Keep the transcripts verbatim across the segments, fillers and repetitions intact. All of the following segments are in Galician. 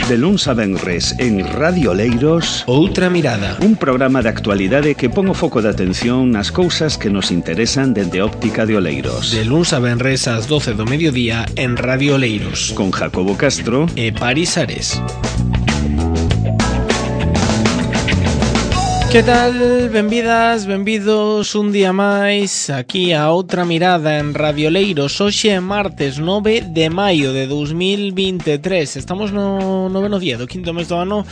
De luns a venres en Radio Oleiros, Outra Mirada, un programa de actualidade que pon o foco de atención nas cousas que nos interesan dende óptica de Oleiros. De luns a venres ás doce do mediodía en Radio Oleiros, con Jacobo Castro e Paris Ares. Que tal? Benvidas, benvidos un día máis aquí a Outra Mirada en Radio Oleiros. Hoxe é martes nove de maio de dous mil vinte e tres. Estamos no noveno día do quinto mes do ano,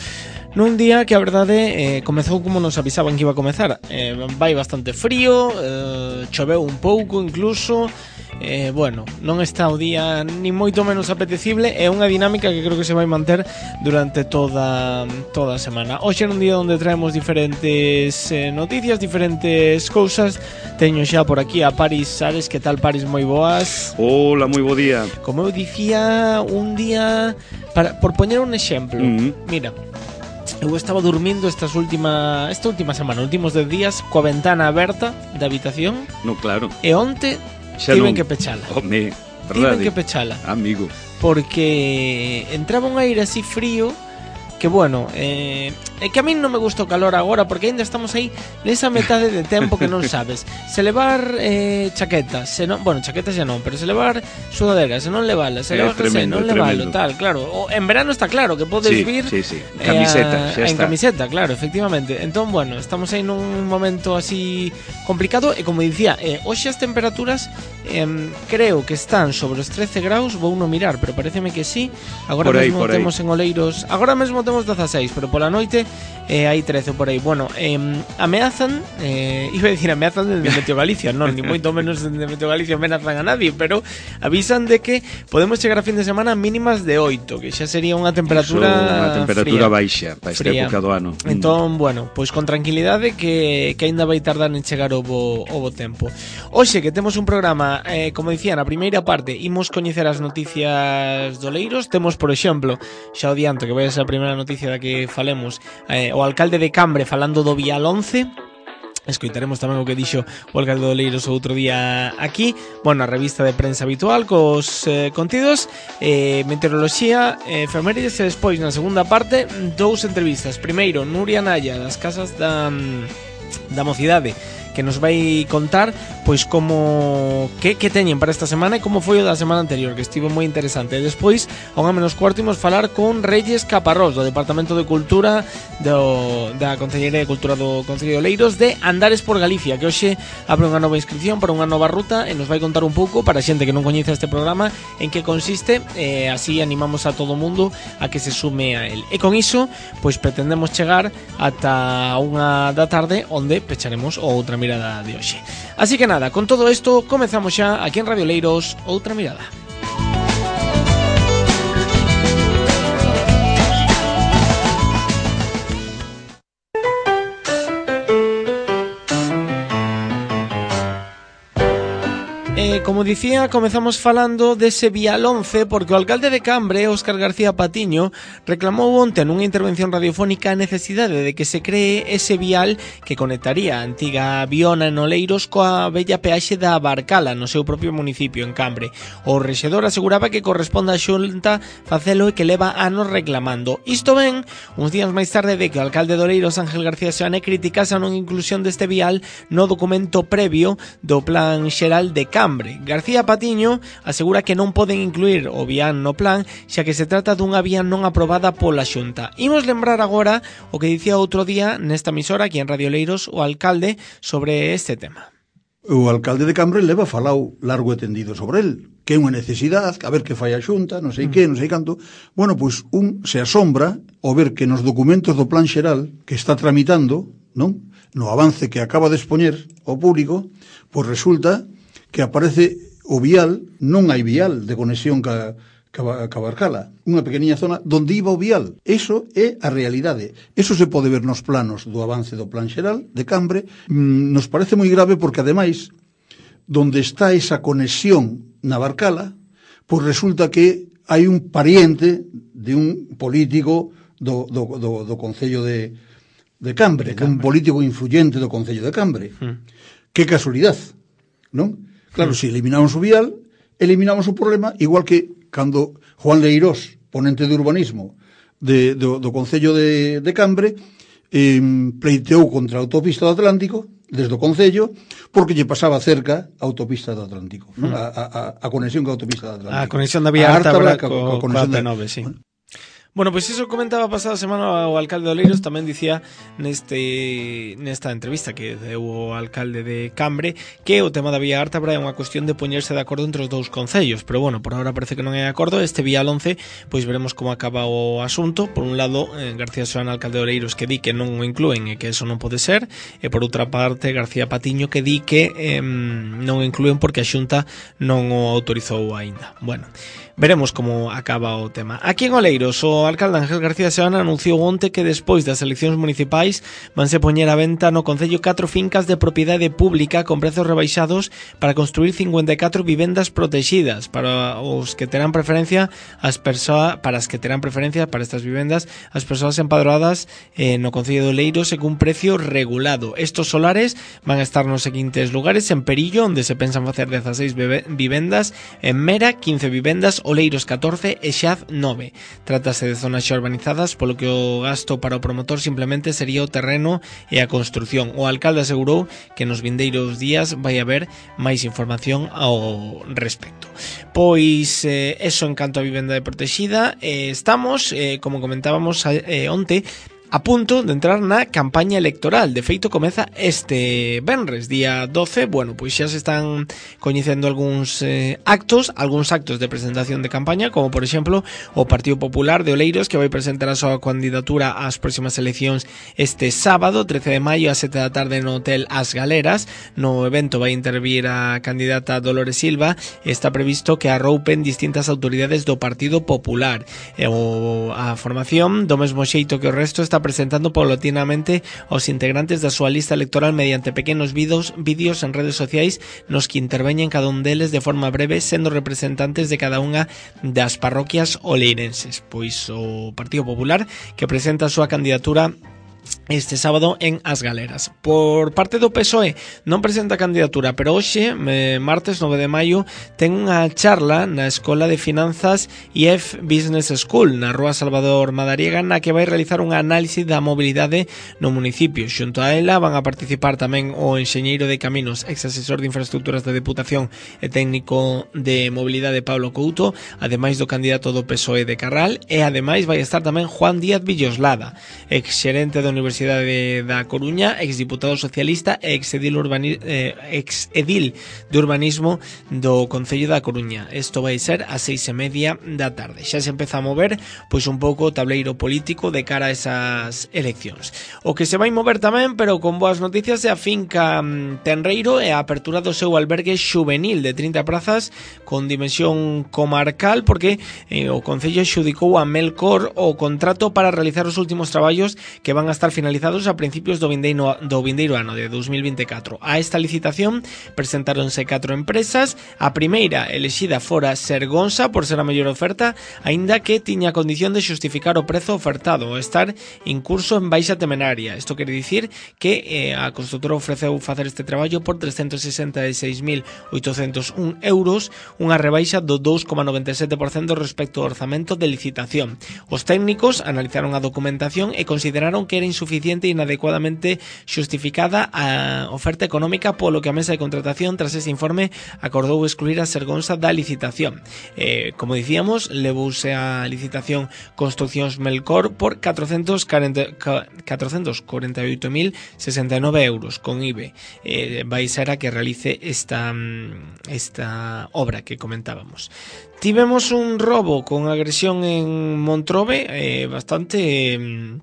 nun día que a verdade eh, comezou como nos avisaban que iba a comezar. eh, Vai bastante frío, eh, choveu un pouco incluso. Eh, bueno, non está o día ni moito menos apetecible. É unha dinámica que creo que se vai manter durante toda toda a semana. Hoxe é un día onde traemos diferentes eh, noticias, diferentes cousas. Teño xa por aquí a Paris Ares. Que tal, Paris? Moi boas. Hola, moi bo día. Como eu dicía, un día para, por poñer un exemplo. Mm-hmm. Mira, eu estaba dormindo estas última esta última semana, últimos dez días, coa ventana aberta da habitación. No, claro. E onte Xa tiven non. que pechala. Home, Tiven verdade. que pechala. Amigo. Porque entraba un aire así frío que, bueno, eh, é que a min non me gusta o calor agora, porque ainda estamos aí nesa metade de tempo que non sabes se levar eh, chaqueta, se non, bueno, chaqueta xa non, pero se levar sudadera, se non levala, se é levar jersey, non levalo, tremendo. Tal, claro. O, en verano está claro que podes sí, vir sí, sí. Camiseta, eh, xa en está. camiseta, claro, efectivamente. Entón, bueno, estamos aí nun momento así complicado e, como dicía, eh, hoxe as temperaturas eh, creo que están sobre os trece graus, vou non mirar, pero pareceme que sí. Agora por aí, mesmo por aí. temos en Oleiros, agora mesmo temos dezaseis, pero pola noite eh, hai trece por aí. Bueno, eh, ameazan, eh, iba a decir ameazan desde Meteo Galicia, non, ni moito menos desde Meteo Galicia ameazan a nadie, pero avisan de que podemos chegar a fin de semana mínimas de oito, que xa sería unha temperatura unha temperatura fría, baixa para esta fría. época do ano. Entón, bueno, pois con tranquilidade que, que aínda vai tardar en chegar o bo, o bo tempo. Hoxe que temos un programa, eh, como dicía, na primeira parte imos coñecer as noticias do Oleiros. Temos, por exemplo, xa o dianto que vai a ser a primeira noticia da que falemos, eh, o alcalde de Cambre falando do Vial once. Escoitaremos tamén o que dixo o alcalde de Oleiros o outro día aquí. Bueno, a revista de prensa habitual cos eh, contidos, eh, meteoroloxía, eh, efemérides, e despois na segunda parte dous entrevistas. Primeiro, Nuria Naya das Casas da, da Mocidade, que nos vai contar pois como que, que teñen para esta semana e como foi o da semana anterior, que estivo moi interesante. E despois, a unha menos cuarto, imos falar con Reyes Caparrós, do Departamento de Cultura do, da Concellería de Cultura do Concello de Oleiros, de Andares por Galicia, que hoxe abre unha nova inscripción para unha nova ruta e nos vai contar un pouco, para a xente que non coñece este programa, en que consiste. E así animamos a todo o mundo a que se sume a él. E con iso, pois pretendemos chegar ata unha da tarde, onde pecharemos outra mirada de hoxe. Así que nada, con todo isto comezamos xa aquí en Radio Oleiros Outra Mirada. Eh, como dicía, comezamos falando dese Vial once, porque o alcalde de Cambre, Óscar García Patiño, reclamou onte nunha intervención radiofónica a necesidade de que se cree ese vial que conectaría a antiga Viona en Oleiros coa bella peaxe da Barcala no seu propio municipio, en Cambre. O rexedor aseguraba que corresponde á Xunta facelo e que leva anos reclamando. Isto ven uns días máis tarde de que o alcalde de Oleiros, Ángel García Seoane, criticase a non inclusión deste vial no documento previo do Plan Xeral de Cambre. García Patiño asegura que non poden incluir o vial no plan, xa que se trata dunha vía non aprobada pola Xunta. Imos lembrar agora o que dicía outro día nesta emisora, aquí en Radio Oleiros, o alcalde sobre este tema. O alcalde de Cambre leva falado largo e tendido sobre el, que é unha necesidade, a ver que fai a Xunta, non sei mm. que, non sei canto. Bueno, pois un se asombra ao ver que nos documentos do plan xeral que está tramitando, non? No avance que acaba de expoñer ao público, pois resulta que aparece o vial, non hai vial de conexión ca, ca, ca Barcala, unha pequeniña zona donde iba o vial. Eso é a realidade. Eso se pode ver nos planos do avance do plan xeral de Cambre. Mm, nos parece moi grave porque, ademais, donde está esa conexión na Barcala, pois resulta que hai un pariente de un político do, do, do, do Concello de, de Cambre, de Cambre, un político influyente do Concello de Cambre. Mm. Que casualidade, non? Claro, mm. se eliminamos o vial, eliminamos o problema, igual que cando Juan Leirós, ponente de urbanismo, de, do, do Concello de, de Cambre eh, pleiteou contra a autopista do Atlántico desde o Concello, porque lle pasaba cerca a autopista do Atlántico, mm. a, a, a conexión con a autopista do Atlántico. A conexión da vía Ártabra co, co, co, co A P nove, sí. Bueno. Bueno, pois pues iso comentaba pasada semana o alcalde de Oleiros, tamén dicía neste nesta entrevista que deu o alcalde de Cambre que o tema da vía Ártabra é unha cuestión de poñerse de acordo entre os dous concellos, pero bueno, por agora parece que non é de acordo. Este vía once, pois veremos como acaba o asunto. Por un lado, eh, García Soana, alcalde de Oleiros, que di que non o inclúen e que eso non pode ser, e por outra parte García Patiño, que di que eh, non o inclúen porque a Xunta non o autorizou aínda. Bueno, veremos como acaba o tema. Aquí en Oleiros, o alcalde Ángel García Seoane anunciou onte que despois das eleccións municipais vanse poñer a venta no concello catro fincas de propiedade pública con prezos rebaixados para construir cincuenta e catro vivendas protegidas para os que terán preferencia as persoas para as que terán preferencia para estas vivendas as persoas empadroadas eh, no concello de Oleiros e cun precio regulado. Estos solares van a estar nos seguintes lugares: en Perillo, onde se pensan facer dezaseis vivendas, en Mera quince vivendas, Oleiros catorce e Xaz nove. Trátase de zonas xa urbanizadas, polo que o gasto para o promotor simplemente sería o terreno e a construción. O alcalde asegurou que nos vindeiros días vai haber máis información ao respecto. Pois eh, eso en canto a vivenda de protexida. Eh, estamos, eh, como comentábamos eh, onte, a punto de entrar na campaña electoral. De feito, comeza este venres, día doce. Bueno, pois xa se están coñecendo algúns eh, actos, algúns actos de presentación de campaña, como por exemplo o Partido Popular de Oleiros, que vai presentar a súa candidatura ás próximas eleccións este sábado, trece de maio, a sete da tarde no Hotel As Galeras. No evento vai intervir a candidata Dolores Silva. Está previsto que arroupen distintas autoridades do Partido Popular. E o, a formación, do mesmo xeito que o resto, está presentando paulatinamente aos integrantes da súa lista electoral mediante pequenos vídeos, vídeos en redes sociais nos que interveñen cada un deles de forma breve, sendo representantes de cada unha das parroquias oleirenses. Pois o Partido Popular, que presenta a súa candidatura este sábado en As Galeras. Por parte do P S O E non presenta candidatura, pero hoxe, martes nove de maio, ten unha charla na Escola de Finanzas I E F Business School na Rúa Salvador Madariaga, na que vai realizar unha análise da mobilidade no municipio. Xunto a ela van a participar tamén o enxeñeiro de caminos, ex asesor de infraestructuras da Deputación e técnico de mobilidade Pablo Couto, ademais do candidato do P S O E de Carral, e ademais vai estar tamén Juan Díaz Villoslada, ex xerente do Universidade da Coruña, exdiputado socialista e exedil, urbani, eh, exedil de urbanismo do Concello da Coruña. Isto vai ser a seis e media da tarde. Xa se empeza a mover pois un pouco o tableiro político de cara a esas eleccións. O que se vai mover tamén, pero con boas noticias, é a finca Tenreiro e a apertura do seu albergue xuvenil de trinta prazas con dimensión comarcal, porque eh, o Concello xudicou a Melcor o contrato para realizar os últimos traballos que van a estar finalizados a principios do vindeiro, do vindeiro ano de dos mil vinte e catro. A esta licitación presentáronse catro empresas. A primeira elexida fora Sergonsa por ser a mellor oferta, aínda que tiña a condición de xustificar o prezo ofertado ou estar incurso en baixa temenaria. Isto quere dicir que eh, a constructora ofreceu facer este traballo por trescentos sesenta e seis mil oitocentos un euros, unha rebaixa do dous coma noventa e sete por cento respecto ao orzamento de licitación. Os técnicos analizaron a documentación e consideraron que era insuficiente e inadecuadamente xustificada a oferta económica, polo que a mesa de contratación, tras ese informe, acordou excluir a Sergonsa da licitación. Eh, como dicíamos, levouse a licitación Construccións Melcor por catrocentos corenta e oito mil sesenta e nove euros con I V A. Eh, vai ser a que realice esta, esta obra que comentábamos. Tivemos un robo con agresión en Montrobe, eh, bastante... Eh,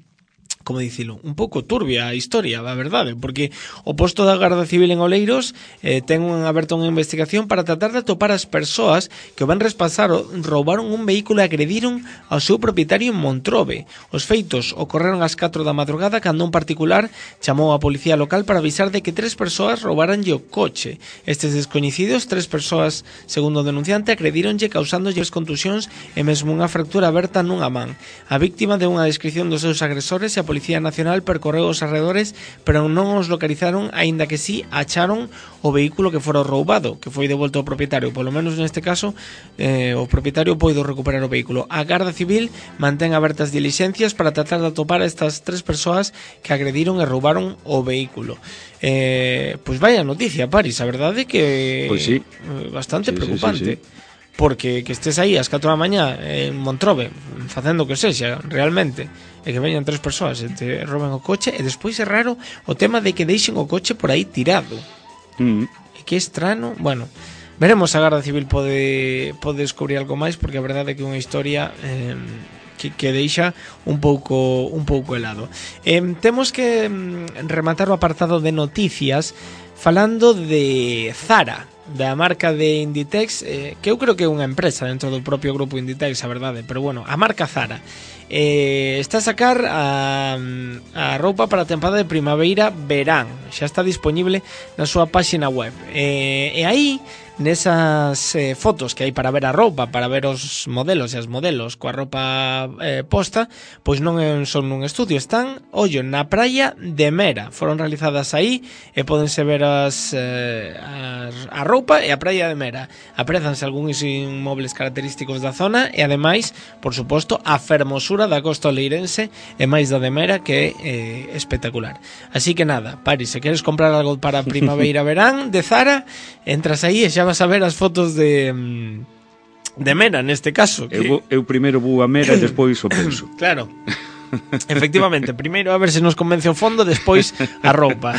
como dicilo, un pouco turbia a historia, a verdade, porque o posto da Garda Civil en Oleiros eh, ten un aberto unha investigación para tratar de atopar as persoas que o venres pasado roubaron un vehículo e agrediron ao seu propietario en Montrobe. Os feitos ocorreron ás catro da madrugada cando un particular chamou a policía local para avisar de que tres persoas roubaranlle o coche. Estes descoñecidos, tres persoas, segundo o denunciante, agredíronlle causándolle contusións e mesmo unha fractura aberta nunha man. A víctima deu unha descripción dos seus agresores e a Policía Nacional percorreu os arredores, pero non os localizaron, aínda que sí acharon o vehículo que fora roubado, que foi devolto ao propietario. Polo menos neste caso, eh, o propietario poido recuperar o vehículo. A Garda Civil mantén abertas diligencias para tratar de atopar a estas tres persoas que agrediron e roubaron o vehículo. Eh, pois vaya noticia, Paris, a verdade é que pois sí. bastante sí, preocupante. Sí, sí, sí. Porque que estés aí ás catro da mañá en Montrobe facendo o que sexa realmente e que veñan tres persoas e te roben o coche, e despois é raro o tema de que deixen o coche por aí tirado. Mm. E que estrano, bueno, veremos se a Garda Civil pode pode descubrir algo máis, porque a verdade é que é unha historia eh, que, que deixa un pouco un pouco helado. Eh, temos que mm, rematar o apartado de noticias falando de Zara, da marca de Inditex, eh, que eu creo que é unha empresa dentro do propio grupo Inditex, a verdade, pero bueno, a marca Zara eh, está a sacar a, a roupa para a temporada de primavera-verán, xa está disponible na súa páxina web, eh, e aí nesas eh, fotos que hai para ver a roupa, para ver os modelos e as modelos coa roupa eh, posta, pois non son nun estudio, están, ollo, na praia de Mera, foron realizadas aí e pódense ver as, eh, as a roupa e a praia de Mera. Aprezanse algúns inmobles característicos da zona e ademais, por suposto, a fermosura da costa oleirense e máis da de Mera, que é eh, espectacular. Así que nada, Paris, se queres comprar algo para primavera-verán de Zara, entras aí e xa vas a ver as fotos de de Mera, neste caso que... eu, eu primeiro vou a Mera e despois o penso. Claro. Efectivamente, primeiro a ver se nos convence o fondo, despois a roupa.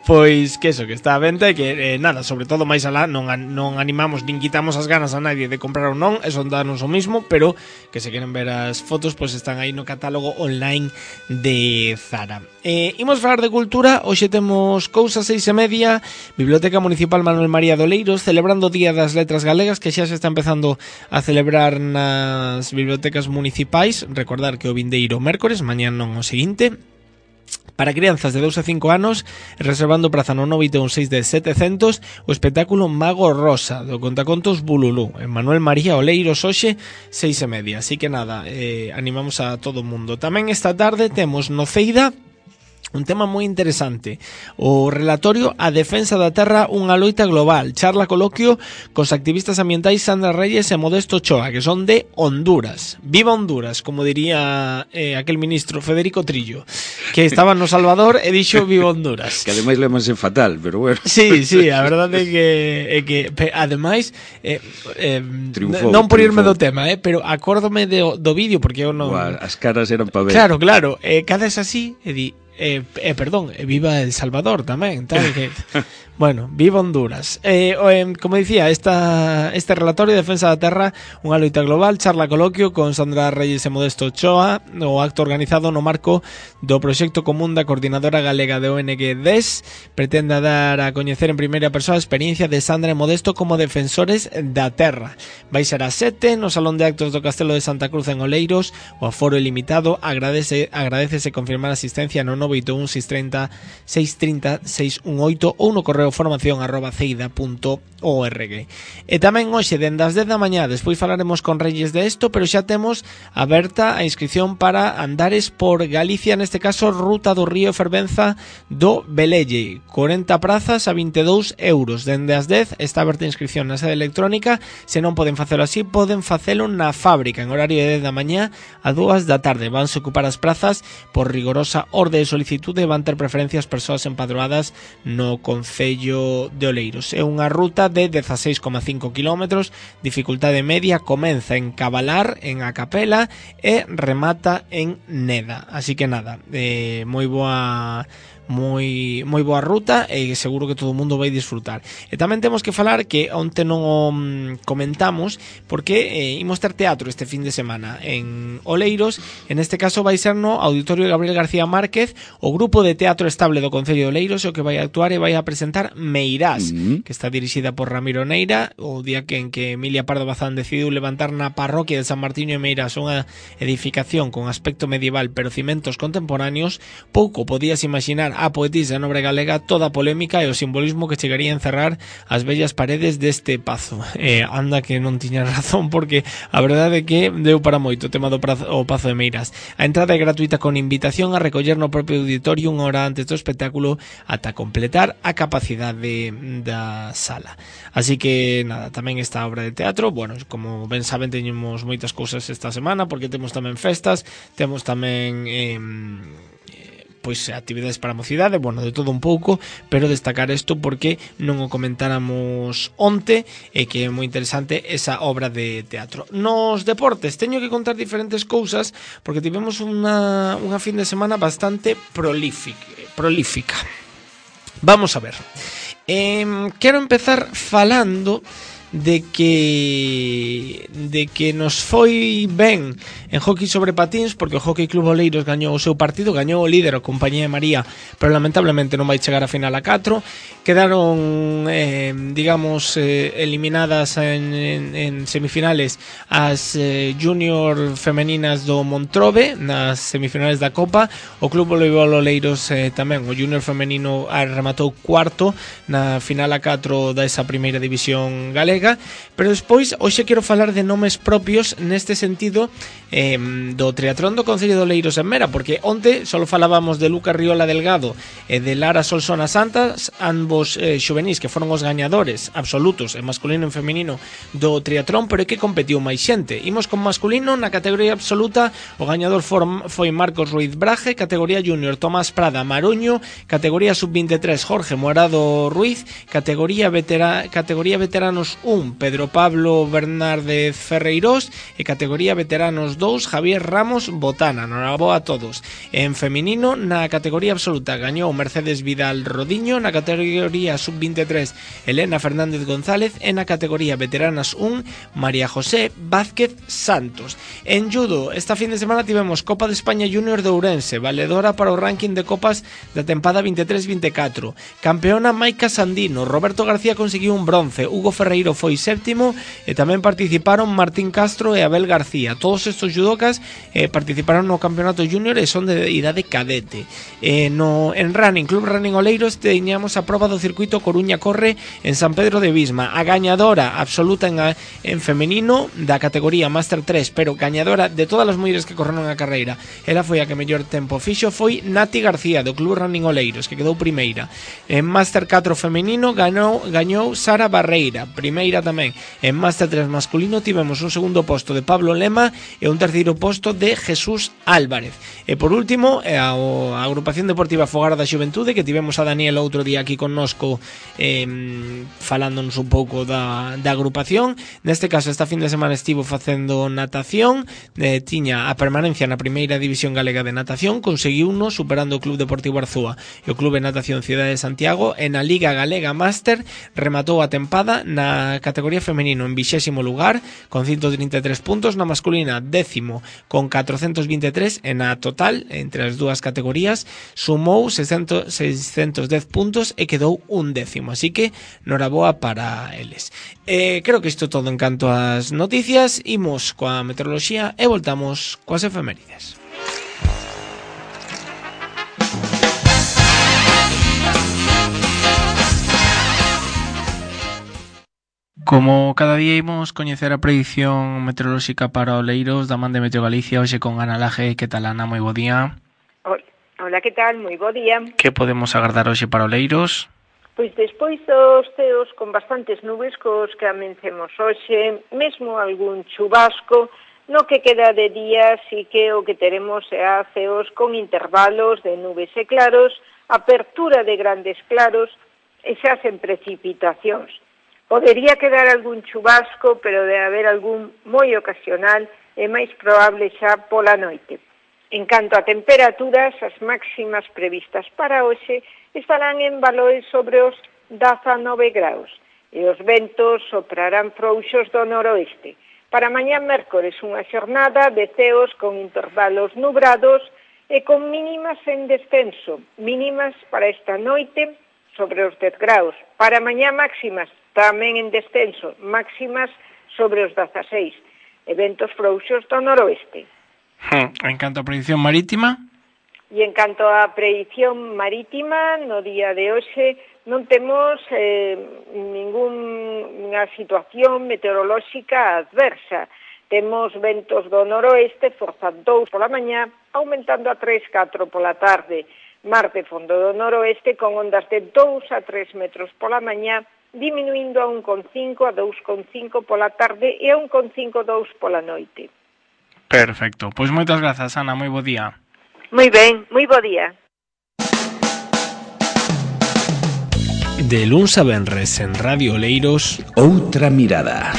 Pois que eso, que está a venta e que eh, nada, sobre todo máis alá non, non animamos nin quitamos as ganas a nadie de comprar ou non, eso danos o mismo, pero que se queren ver as fotos, pois están aí no catálogo online de Zara. Eh, imos falar de cultura, hoxe temos cousas seis e media, Biblioteca Municipal Manuel María de Oleiros celebrando o Día das Letras Galegas, que xa se está empezando a celebrar nas bibliotecas municipais. Recordar que o vindeiro mércores, mañán non o seguinte. Para crianzas de dous a cinco anos, reservando praza no nove oito un seis de setecentos, o espectáculo Mago Rosa, do contacontos Bululú, en Manuel María Oleiros, hoxe, seis e media. Así que nada, eh, animamos a todo o mundo. Tamén esta tarde temos no Ceida un tema moi interesante, o relatorio A defensa da terra, unha loita global, charla coloquio cos activistas ambientais Sandra Reyes e Modesto Ochoa, que son de Honduras. Viva Honduras, como diría eh, aquel ministro Federico Trillo, que estaba no Salvador e dixo viva Honduras. Que ademais lemanse fatal, pero bueno. Sí, sí, a verdade é que, é que ademais eh, eh, triunfou, non por irme triunfou. do tema, eh, pero acórdome do, do vídeo, porque eu non... Uá, as caras eran para ver. Claro, claro, eh, cada es así e di Eh, eh, perdón, eh, viva El Salvador tamén, tal que bueno, viva Honduras. Eh, eh, como dicía, esta, este relatorio de defensa da terra, unha loita global, charla coloquio con Sandra Reyes e Modesto Ochoa, o acto organizado no marco do proxecto común da Coordinadora Galega de O N G D E S, pretende dar a coñecer en primeira persoa a experiencia de Sandra e Modesto como defensores da terra. Vai ser a sete no Salón de Actos do Castelo de Santa Cruz en Oleiros, o aforo ilimitado, agradece, agradecese confirmar a asistencia no nove oito un seis tres cero seis tres cero seis un oito ou no correo formación arroba ceida punto org. E tamén hoxe, dende as dez da mañá, despois falaremos con Reyes de esto, pero xa temos aberta a inscripción para andares por Galicia, neste caso Ruta do Río Fervenza do Velelle, corenta prazas a vinte e dous euros. Dende as dez está aberta a inscripción na sede electrónica, se non poden facelo así, poden facelo na fábrica, en horario de dez da mañá a dúas da tarde. Vanse ocupar as prazas por rigorosa orde de solicitude, van ter preferencias persoas empadroadas no Concello de Oleiros. É unha ruta de dieciséis coma cinco kilómetros, dificultade media, comeza en Cabalar, en A Capela e remata en Neda. Así que nada, eh, moi boa moi moi boa ruta e seguro que todo o mundo vai disfrutar. E tamén temos que falar que onte non o comentamos porque eh, imos ter teatro este fin de semana en Oleiros, en este caso vai ser no Auditorio Gabriel García Márquez, o grupo de teatro estable do Concello de Oleiros, o que vai a actuar e vai a presentar Meirás, mm-hmm. que está dirixida por Ramiro Neira, o día que en que Emilia Pardo Bazán decidiu levantar na parroquia de San Martiño e Meirás unha edificación con aspecto medieval pero cimentos contemporáneos. Pouco podías imaginar dar á poetisa nobre galega toda a polémica e o simbolismo que chegaría a encerrar as bellas paredes deste pazo. Eh, anda que non tiña razón, porque a verdade é que deu para moito o tema do prazo, o Pazo de Meiras. A entrada é gratuita con invitación a recoller no propio auditorio unha hora antes do espectáculo ata completar a capacidade da sala. Así que, nada, tamén esta obra de teatro, bueno, como ben saben, teñemos moitas cousas esta semana, porque temos tamén festas, temos tamén eh, pois actividades para a mocidade, bueno, de todo un pouco, pero destacar isto porque non o comentáramos onte e que é moi interesante esa obra de teatro. Nos deportes teño que contar diferentes cousas porque tivemos unha, unha fin de semana bastante prolífica, prolífica. Vamos a ver. Eh, quero empezar falando de que de que nos foi ben en hockey sobre patins, porque o Hockey Club Oleiros gañou o seu partido, gañou o líder, a Compañía de María, pero lamentablemente non vai chegar a final a catro. Quedaron, eh, digamos, eh, eliminadas en, en, en semifinales as eh, junior femeninas do Montrobe nas semifinales da Copa. O Club Voleibol Oleiros eh, tamén, o junior femenino rematou cuarto na final a catro da esa primeira división galega. Pero despois, hoxe quero falar de nomes propios neste sentido eh, do triatlón do Concello de Oleiros en Mera, porque onte só falábamos de Lucas Riola Delgado e de Lara Solsona Santas, ambos eh, xuvenís que foron os gañadores absolutos en masculino e en feminino do triatlón, pero é que competiu máis xente. Imos con masculino, na categoría absoluta o gañador for, foi Marcos Ruiz Braje, categoría junior Tomás Prada Maruño, categoría sub veintitrés Jorge Morado Ruiz, categoría, vetera, categoría veteranos un Pedro Pablo Bernárdez Ferreirós e categoría veteranos dous Javier Ramos Botana. Noraboa a todos. En feminino, na categoría absoluta gañou Mercedes Vidal Rodiño, na categoría sub veintitrés Elena Fernández González e na categoría veteranas un María José Vázquez Santos. En judo, esta fin de semana tivemos Copa de España Junior de Ourense, valedora para o ranking de copas da tempada veintitrés veinticuatro. Campeona Maica Sandino, Roberto García conseguiu un bronce, Hugo Ferreiro foi séptimo e tamén participaron Martín Castro e Abel García. Todos estos judocas eh, participaron no campeonato junior e son de idade cadete. Eh, no, en running, Club Running Oleiros teñamos a proba do circuito Coruña Corre en San Pedro de Visma. A gañadora absoluta en, en femenino da categoría Master tres, pero gañadora de todas as mulleres que correron a carreira, ela foi a que mellor tempo fixo, foi Nati García do Club Running Oleiros, que quedou primeira. En Master catro femenino gañou, gañou Sara Barreira, primeira tamén. En Master tres masculino tivemos un segundo posto de Pablo Lema e un terceiro posto de Jesús Álvarez. E por último, a, a agrupación deportiva Fogar da Xuventude, que tivemos a Daniel outro día aquí connosco eh, falándonos un pouco da, da agrupación. Neste caso, esta fin de semana estivo facendo natación, eh, tiña a permanencia na primeira división galega de natación, conseguiuno superando o Club Deportivo Arzúa e o Club de Natación Cidade de Santiago. En a Liga Galega Máster rematou a tempada na categoría femenino en vixésimo lugar con ciento treinta e tres puntos, na masculina décimo con catrocentos veintitrés e na total entre as dúas categorías sumou seiscentos, seiscentos dez puntos e quedou un décimo, así que noraboa para eles. Eh, creo que isto todo en canto ás noticias. Imos coa meteoroloxía e voltamos coas efemérides. Como cada día imos coñecer a predición meteorolóxica para Oleiros da man de Meteo Galicia, hoxe con Ana Laje. Que tal, Ana? Moi bo día. Hola, que tal? Moi bo día. Que podemos agardar hoxe para Oleiros? Pois despois dos ceos con bastantes nubes cos que amencemos hoxe, mesmo algún chubasco, no que queda de día sí que o que teremos é ceos con intervalos de nubes e claros, apertura de grandes claros e xa sen precipitacións. Podería quedar algún chubasco, pero de haber algún moi ocasional e máis probable xa pola noite. En canto a temperaturas, as máximas previstas para hoxe estarán en valores sobre os dezanove graus e os ventos soprarán frouxos do noroeste. Para mañá mércores unha xornada de ceos con intervalos nubrados e con mínimas en descenso, mínimas para esta noite sobre os dez graus. Para mañá máximas tamén en descenso, máximas sobre os dezaseis, eventos frouxos do noroeste. Hmm. En canto a predicción marítima? E en canto á predición marítima, no día de hoxe non temos eh, ninguna situación meteorolóxica adversa. Temos ventos do noroeste, forza dous pola mañá, aumentando a tres, catro pola tarde. Mar de fondo do noroeste con ondas de dous a tres metros pola mañá, diminuindo a un coma cinco a dous coma cinco pola tarde e a un coma cinco a dous pola noite. Perfecto. Pois moitas grazas, Ana, moi bo día. Moi ben, moi bo día. De luns a venres en Radio Oleiros, Outra mirada.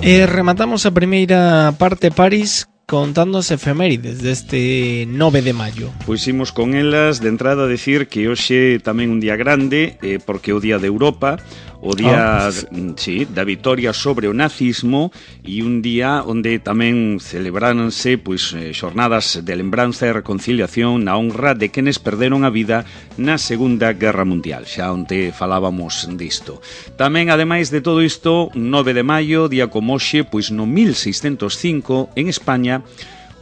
E rematamos a primeira parte, Paris, contando as efemérides deste nove de maio. Pois imos con elas de entrada a decir que hoxe tamén un día grande, eh, porque é o día de Europa, o día, oh, pues... sí, da vitoria sobre o nazismo, e un día onde tamén celebráronse pois xornadas de lembranza e reconciliación na honra de quenes perderon a vida na Segunda Guerra Mundial, xa onde falábamos disto. Tamén, ademais de todo isto, nove de maio, día como hoxe, pois no mil seiscentos cinco, en España,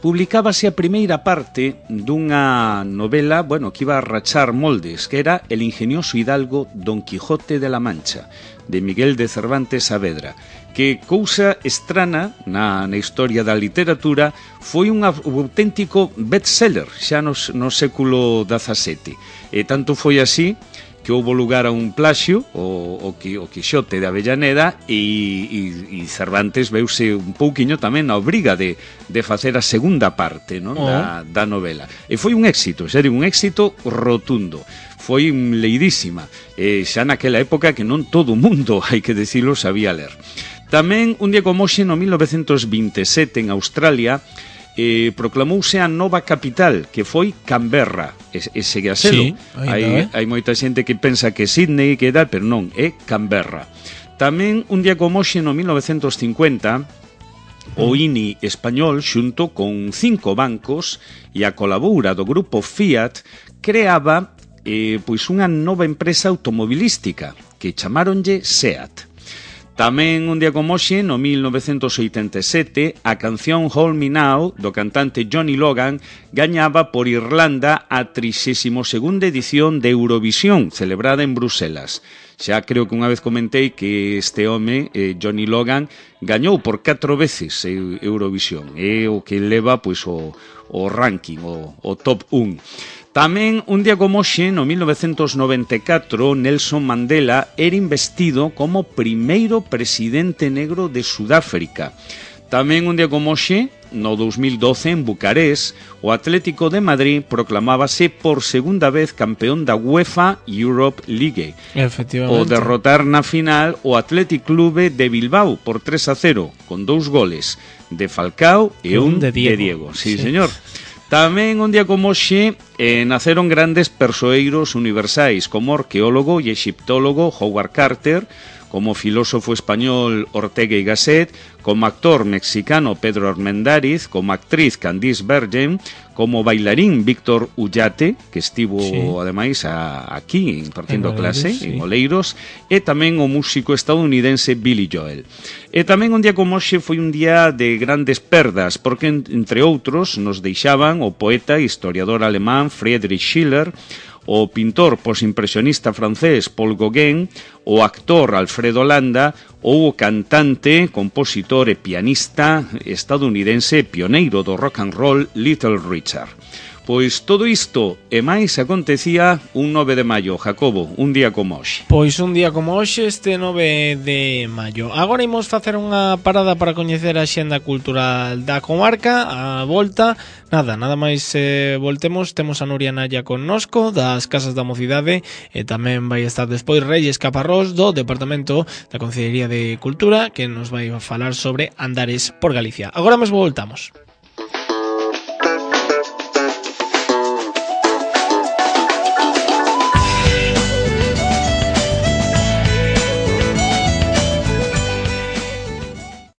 publicábase a primeira parte dunha novela, bueno, que iba a rachar moldes, que era El ingenioso hidalgo Don Quijote de la Mancha, de Miguel de Cervantes Saavedra, que cousa estrana na, na historia da literatura, foi un auténtico bestseller xa no, no século dezasete. E tanto foi así que houbo lugar a un plaxio, o, o, o Quixote de Avellaneda, e, e, e Cervantes veuse un pouquiño tamén na obriga de, de facer a segunda parte, non? Oh. da, da novela. E foi un éxito, xa digo, un éxito rotundo. Foi leidísima, e xa naquela época que non todo o mundo, hai que decirlo, sabía ler. Tamén, un día como hoxe, no mil novecentos veintesete, en Australia, Eh, proclamouse a nova capital, que foi Canberra, e, e segue a selo. Sí, hai, eh? hai moita xente que pensa que Sydney, que tal, pero non, é Canberra. Tamén, un día como hoxe, no mil novecentos cincuenta, o I N I español, xunto con cinco bancos e a colaboura do grupo Fiat, creaba eh, pois unha nova empresa automobilística, que chamaronlle SEAT. Tamén un día como hoxe, no mil novecentos oitenta e sete, a canción Hold Me Now, do cantante Johnny Logan, gañaba por Irlanda a trixésima segunda edición de Eurovisión, celebrada en Bruselas. Xa creo que unha vez comentei que este home, eh, Johnny Logan, gañou por catro veces Eurovisión. É o que leva pois, o, o ranking, o, o top un. Tamén, un día como hoxe, no mil novecentos noventa e catro, Nelson Mandela era investido como primeiro presidente negro de Sudáfrica. Tamén, un día como hoxe, no dous mil doce, en Bucarest, o Atlético de Madrid proclamábase por segunda vez campeón da UEFA Europe League. Efectivamente. O derrotar na final o Athletic Clube de Bilbao por tres a cero, con dous goles de Falcao e un, un de Diego. De Diego. Sí, sí, señor. Tamén, un día como hoxe, eh, naceron grandes persoeiros universais, como arqueólogo e exiptólogo Howard Carter, como filósofo español Ortega y Gasset, como actor mexicano Pedro Armendáriz, como actriz Candice Bergen, como bailarín Víctor Ullate, que estivo, sí, ademais, a, aquí impartindo en clase, sí, en Oleiros, e tamén o músico estadounidense Billy Joel. E tamén un día como hoxe foi un día de grandes perdas, porque, entre outros, nos deixaban o poeta e historiador alemán Friedrich Schiller, o pintor posimpresionista francés Paul Gauguin, o actor Alfredo Landa ou o cantante, compositor e pianista estadounidense pioneiro do rock and roll Little Richard. Pois todo isto e máis acontecía un nove de maio, Jacobo, un día como hoxe. Pois un día como hoxe, este nove de maio. Agora imos facer unha parada para coñecer a xenda cultural da comarca, a volta. Nada, nada máis eh, voltemos, temos a Nuria Naya connosco, das Casas da Mocidade, e tamén vai estar despois Reyes Caparrós, do Departamento da Consellería de Cultura, que nos vai falar sobre Andares por Galicia. Agora mesmo voltamos.